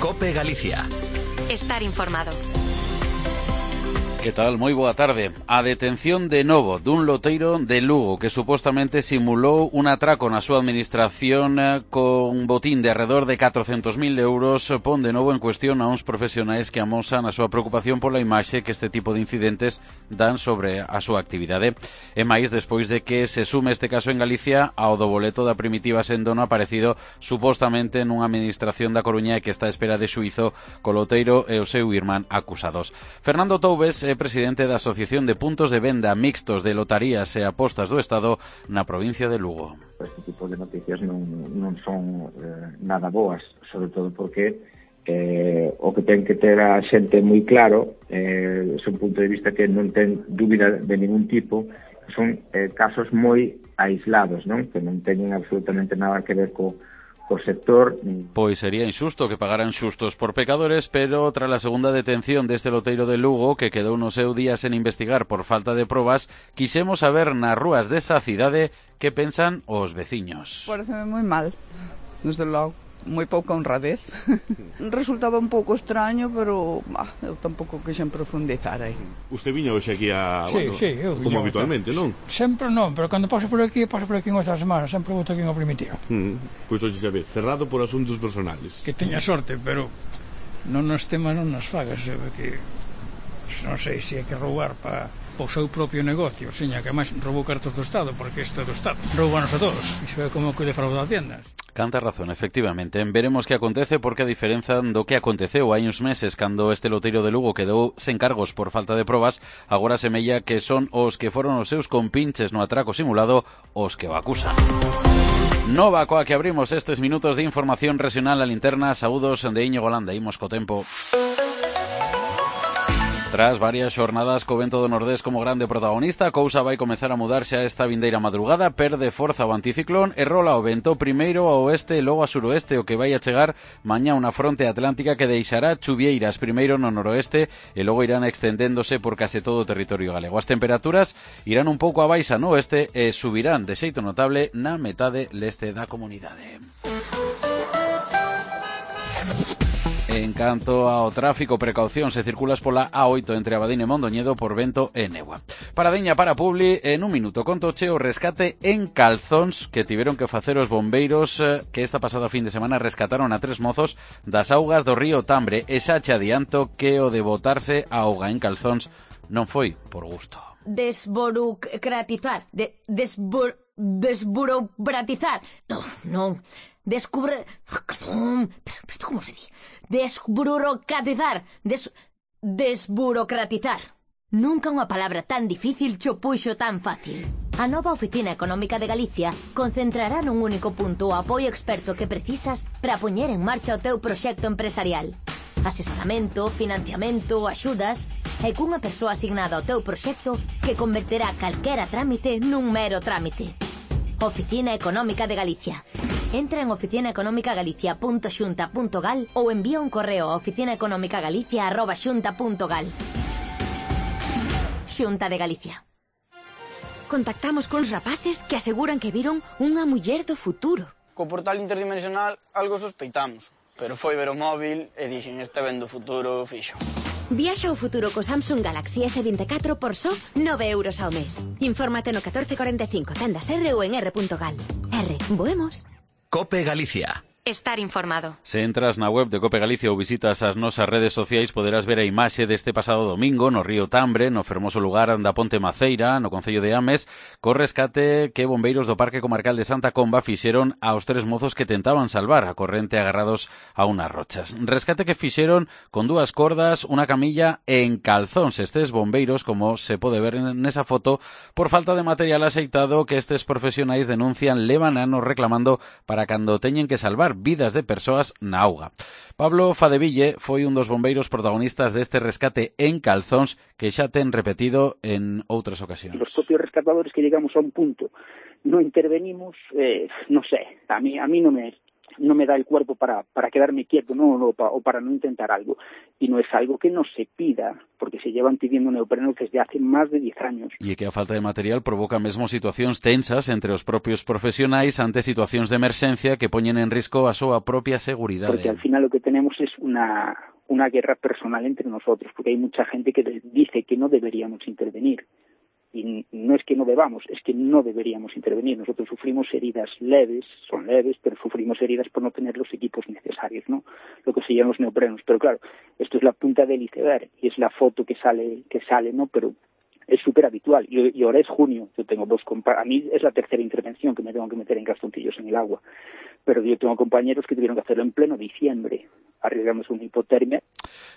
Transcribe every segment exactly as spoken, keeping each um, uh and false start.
COPE Galicia. Estar informado. Que tal? Moi boa tarde. A detención de novo dun loteiro de Lugo que supostamente simulou un atraco na súa administración con botín de alrededor de catrocentos mil euros pon de novo en cuestión a uns profesionais que amosan a súa preocupación pola imaxe que este tipo de incidentes dan sobre a súa actividade. E máis despois de que se sume este caso en Galicia ao do boleto da Primitiva Sendono aparecido supostamente nunha administración da Coruña e que está a espera de xuízo co loteiro e o seu irmán acusados. Fernando Toubes é presidente da Asociación de Puntos de Venda Mixtos de Lotarías e Apostas do Estado na provincia de Lugo. Este tipo de noticias non, non son eh, nada boas, sobre todo porque eh, o que ten que ter a xente moi claro eh, é un punto de vista que non ten dúbida de ningún tipo, que son eh, casos moi aislados, non? Que non teñen absolutamente nada que ver co o sector. Pois sería injusto que pagaran xustos por pecadores, pero tras a segunda detención deste loteiro de Lugo, que quedou no seu día sen investigar por falta de probas, quixemos saber nas rúas desa cidade que pensan os veciños. Pareceme moi mal, desde logo. Moi pouca honradez. Resultaba un pouco extraño, pero bah, eu tampouco quixen profundizar aí. Usted viña hoxe aquí a... Sí, bueno, sí, eu como habitualmente, non? Sempre non, pero cando paso por aquí, paso por aquí unha semana, sempre vou aquí unha primitiva. Mm, pois hoxe xa ve, cerrado por asuntos personales. Que teña sorte, pero non nos temas non nos fagas, que non sei se hai que roubar para o seu propio negocio, seña que máis roubou cartos do Estado, porque isto é do Estado. Roubanos a todos, iso é como que defrauda Haciendas. Canta razón, efectivamente. Veremos que acontece porque a diferenza do que aconteceu hai uns meses cando este loteiro de Lugo quedou sen cargos por falta de probas, agora semella que son os que foron os seus compinches no atraco simulado os que o acusan. Nova coa que abrimos estes minutos de información regional a linterna. Saúdos de Íñigo Landa, imos co tempo. Tras varias xornadas co vento do nordés como grande protagonista, a cousa vai comezar a mudarse a esta vindeira madrugada, perde forza o anticiclón e rola o vento primeiro ao oeste e logo a suroeste, o que vai a chegar mañá unha fronte atlántica que deixará chuvieiras primeiro no noroeste e logo irán extendéndose por case todo o territorio galego. As temperaturas irán un pouco a baixa no oeste e subirán de xeito notable na metade leste da comunidade. En canto ao tráfico, precaución se circulas pola A oito entre Abadín e Mondoñedo por vento e negua. Paradeña para Publi, en un minuto contoche o rescate en Calzóns que tiveron que facer os bombeiros que esta pasada fin de semana rescataron a tres mozos das augas do río Tambre e xa che adianto que o de botarse a auga en Calzóns non foi por gusto. Desburocratizar, de, desbur, desburocratizar, non, non, descubre, non, pero isto como se di? Desburocratizar, des, desburocratizar. Nunca unha palabra tan difícil cho puxo tan fácil. A nova Oficina Económica de Galicia concentrará nun único punto o apoio experto que precisas para poñer en marcha o teu proxecto empresarial. Asesoramento, financiamento, axudas e cunha persoa asignada ao teu proxecto que converterá calquera trámite nun mero trámite. Oficina Económica de Galicia. Entra en oficina económica galicia punto xunta punto gal ou envía un correo a oficina económica galicia arroba xunta punto gal. Xunta de Galicia. Contactamos cuns rapaces que aseguran que viron unha muller do futuro. Co portal interdimensional algo sospeitamos, pero foi ver o móvil e dixen este vendo futuro fixo. Viaxa ao futuro co Samsung Galaxy ese vinte e catro por só nove euros ao mes. Infórmate no catorce cuarenta e cinco, tendas R ou en r punto gal. R, voemos. COPE Galicia. Estar informado. Se entras na web de Cope Galicia ou visitas as nosas redes sociais poderás ver a imaxe deste pasado domingo no río Tambre, no fermoso lugar da Ponte Maceira, no concello de Ames, co rescate que bombeiros do Parque Comarcal de Santa Comba fixeron aos tres mozos que tentaban salvar a corrente agarrados a unas rochas. Rescate que fixeron con dúas cordas, unha camilla en calzóns. Estes bombeiros, como se pode ver nesa foto, por falta de material axeitado que estes profesionais denuncian levan anos reclamando para cando teñen que salvar vidas de persoas na auga. Pablo Fadeville foi un dos bombeiros protagonistas deste rescate en Calzóns que xa ten repetido en outras ocasións. Los propios rescatadores que llegamos a un punto no intervenimos, eh, no sé, a mí, a mí no me no me da el cuerpo para, para quedarme quieto, ¿no? O, pa, o para no intentar algo. Y no es algo que no se pida, porque se llevan pidiendo neopreno desde hace más de diez años. E que a falta de material provoca mesmo situacións tensas entre os propios profesionais ante situacións de emerxencia que poñen en risco a súa propia seguridade. Porque al final lo que tenemos es una, una guerra personal entre nosotros, porque hay mucha gente que dice que no deberíamos intervenir. Y no es que no debamos, es que no deberíamos intervenir. Nosotros sufrimos heridas leves, son leves, pero sufrimos heridas por no tener los equipos necesarios, ¿no? Lo que se llaman los neoprenos. Pero claro, esto es la punta del iceberg y es la foto que sale, que sale, ¿no? Pero es súper habitual. Y, y ahora es junio, yo tengo dos compañeros, a mí es la tercera intervención que me tengo que meter en calzoncillos en el agua. Pero yo tengo compañeros que tuvieron que hacerlo en pleno diciembre, arriesgándose una hipotermia.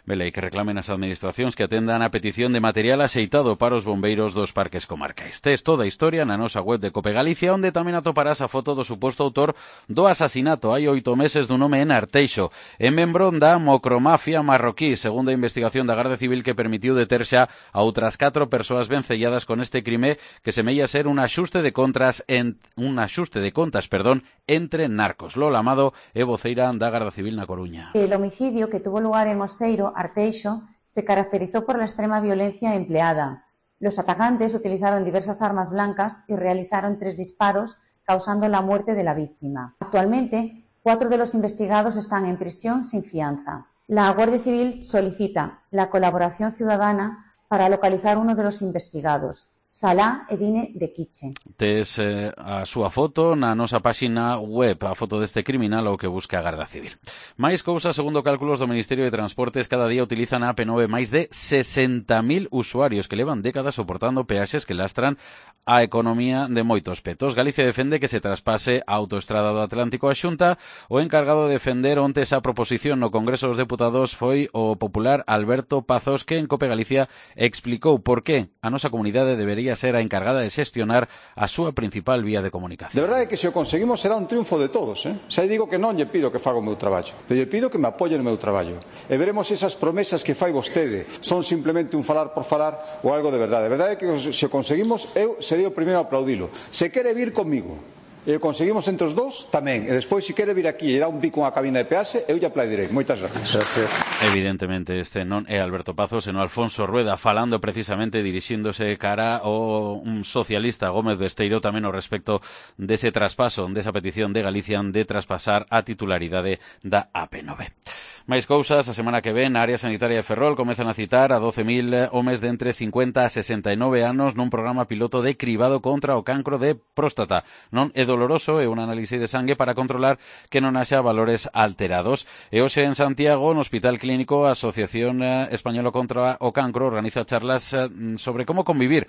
Vele, que reclamen as administracións que atendan a petición de material axeitado para os bombeiros dos parques comarcais. Tes toda a historia na nosa web de Cope Galicia, onde tamén atoparás a foto do suposto autor do asasinato hai oito meses dun home en Arteixo, en membrón da mocromafia marroquí, segundo a investigación da Garda Civil que permitiu deter xa a outras catro persoas vencelladas con este crime que semella ser un axuste de contras en un axuste de contas, perdón, entre narcos. Lola Amado é voceira da Garda Civil na Coruña. El homicidio que tuvo lugar en Oseiro, Arteixo, se caracterizó por la extrema violencia empleada. Los atacantes utilizaron diversas armas blancas y realizaron tres disparos, causando la muerte de la víctima. Actualmente, cuatro de los investigados están en prisión sin fianza. La Guardia Civil solicita la colaboración ciudadana para localizar uno de los investigados, Salah Edine de Quiche. Tes eh, a súa foto na nosa páxina web, a foto deste criminal ao que busca a Garda Civil. Máis cousas, segundo cálculos do Ministerio de Transportes, cada día utilizan a A P nove máis de sesenta mil usuarios que levan décadas soportando peaxes que lastran a economía de moitos petos. Galicia defende que se traspase a autoestrada do Atlántico a Xunta. O encargado de defender onte esa proposición no Congreso dos Deputados foi o popular Alberto Pazos, que en Cope Galicia explicou por que a nosa comunidade debe debería ser a encargada de xestionar a súa principal vía de comunicación. De verdade que se o conseguimos será un triunfo de todos, eh? Xa digo que non lle pido que faga o meu traballo, pero lle pido que me apoie no meu traballo. E veremos se esas promesas que fai vostede son simplemente un falar por falar ou algo de verdade. De verdade que se o conseguimos, eu sería o primeiro a aplaudilo. Se quere vir comigo e o conseguimos entre os dous, tamén. E despois, se quere vir aquí e dar un pico a cabina de peaxe, eu lle aplaudirei. Moitas gracias. Gracias. Evidentemente, este non é Alberto Pazos, senón Alfonso Rueda, falando precisamente, dirixíndose cara ao un socialista Gómez Besteiro, tamén ao respecto dese traspaso, desa petición de Galicia de traspasar a titularidade da A P nove. Máis cousas, a semana que ven, a área sanitaria de Ferrol comezan a citar a doce mil homes de entre cincuenta a sesenta e nove anos nun programa piloto de cribado contra o cancro de próstata. Non é doloroso, é un análise de sangue para controlar que non haxa valores alterados. E hoxe en Santiago, no Hospital Clínico, a Asociación Española contra o Cancro organiza charlas sobre como convivir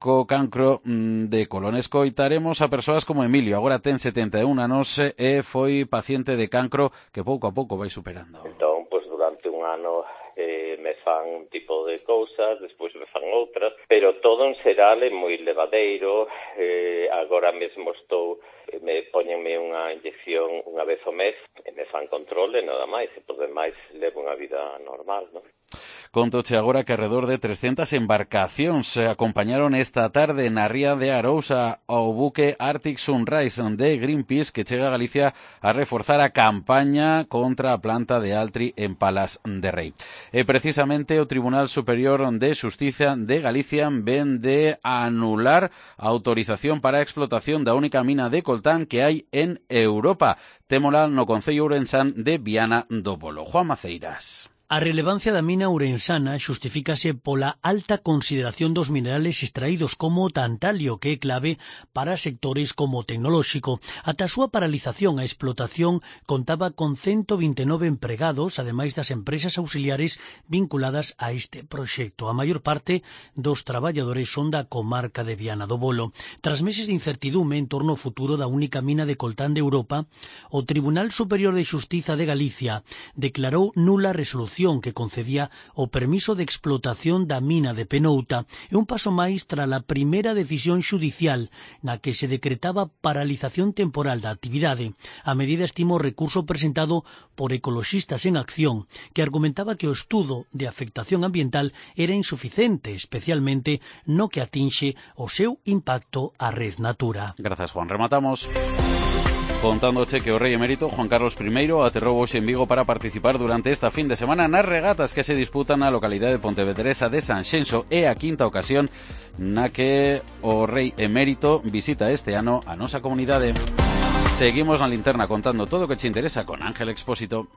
co cancro de colon. Escoitaremos a persoas como Emilio, agora ten setenta e un anos e foi paciente de cancro que pouco a pouco vai superando. Entón, pois durante un ano eh, me fan un tipo de cousas, despois me fan outras, pero todo en xeral é moi levadeiro. Eh, agora mesmo estou, me poñenme unha inyección unha vez ao mes e me fan controle, nada máis, e por demais levo unha vida normal, non? Contoche agora que alrededor de trescentas embarcacións se acompañaron esta tarde na ría de Arousa ao buque Arctic Sunrise de Greenpeace, que chega a Galicia a reforzar a campaña contra a planta de Altri en Palas de Rei. E precisamente o Tribunal Superior de Xustiza de Galicia ven de anular a autorización para a explotación da única mina de coltán que hai en Europa. Témola no Concello Ourensán de Viana do Bolo. Juan Maceiras. A relevancia da mina ourensana xustifícase pola alta consideración dos minerales extraídos como o tantalio, que é clave para sectores como o tecnolóxico. Ata a súa paralización, a explotación contaba con ciento vinte e nove empregados, ademais das empresas auxiliares vinculadas a este proxecto. A maior parte dos traballadores son da comarca de Viana do Bolo. Tras meses de incertidume en torno ao futuro da única mina de coltán de Europa, o Tribunal Superior de Xustiza de Galicia declarou nula a resolución que concedía o permiso de explotación da mina de Penouta e un paso máis tras a primeira decisión xudicial na que se decretaba paralización temporal da actividade. A medida estimou o recurso presentado por Ecoloxistas en Acción, que argumentaba que o estudo de afectación ambiental era insuficiente, especialmente no que atinxe o seu impacto á red Natura. Grazas, Juan. Rematamos Contándoche que o rei emérito Juan Carlos primeiro aterrou hoxe en Vigo para participar durante esta fin de semana nas regatas que se disputan na localidade de Pontevedresa de Sanxenxo. É a quinta ocasión na que o rei emérito visita este ano a nosa comunidade. Seguimos na linterna contando todo o que te interesa con Ángel Expósito.